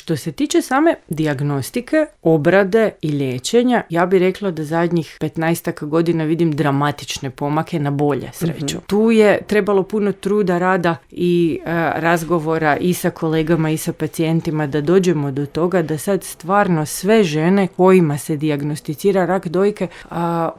Što se tiče same dijagnostike, obrade i liječenja, ja bih rekla da zadnjih 15 godina vidim dramatične pomake na bolje, sreću. Tu je trebalo puno truda, rada i razgovora i sa kolegama i sa pacijentima da dođemo do toga da sad stvarno sve žene kojima se dijagnosticira rak dojke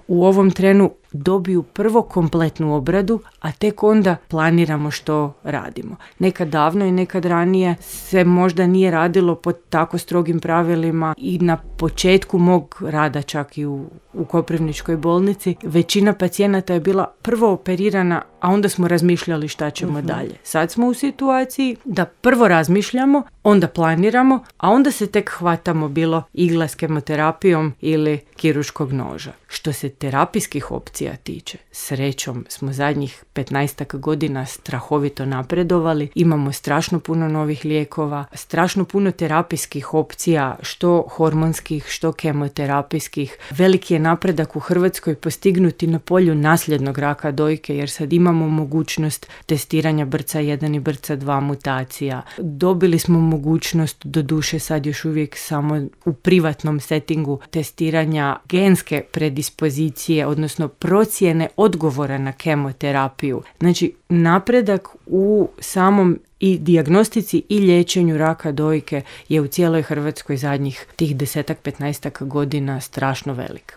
u ovom trenu dobiju prvo kompletnu obradu, a tek onda planiramo što radimo. Nekad davno i nekad ranije se možda nije radilo pod tako strogim pravilima i na početku mog rada čak i u Koprivničkoj bolnici većina pacijenata je bila prvo operirana, a onda smo razmišljali šta ćemo dalje. Sad smo u situaciji da prvo razmišljamo, onda planiramo, a onda se tek hvatamo bilo igla s kemoterapijom ili kirurškog noža. Što se terapijskih opcija tiče, srećom smo zadnjih 15 godina strahovito napredovali, imamo strašno puno novih lijekova, strašno puno terapijskih opcija, što hormonskih, što kemoterapijskih. Veliki je napredak u Hrvatskoj postignuti na polju nasljednog raka dojke, jer sad imamo mogućnost testiranja BRCA1 i BRCA2 mutacija. Dobili smo mogućnost, doduše sad još uvijek samo u privatnom settingu, testiranja genske predispozicije, odnosno procjene odgovora na kemoterapiju. Znači, napredak u samom i dijagnostici i liječenju raka dojke je u cijeloj Hrvatskoj zadnjih tih 10-15 godina strašno velik.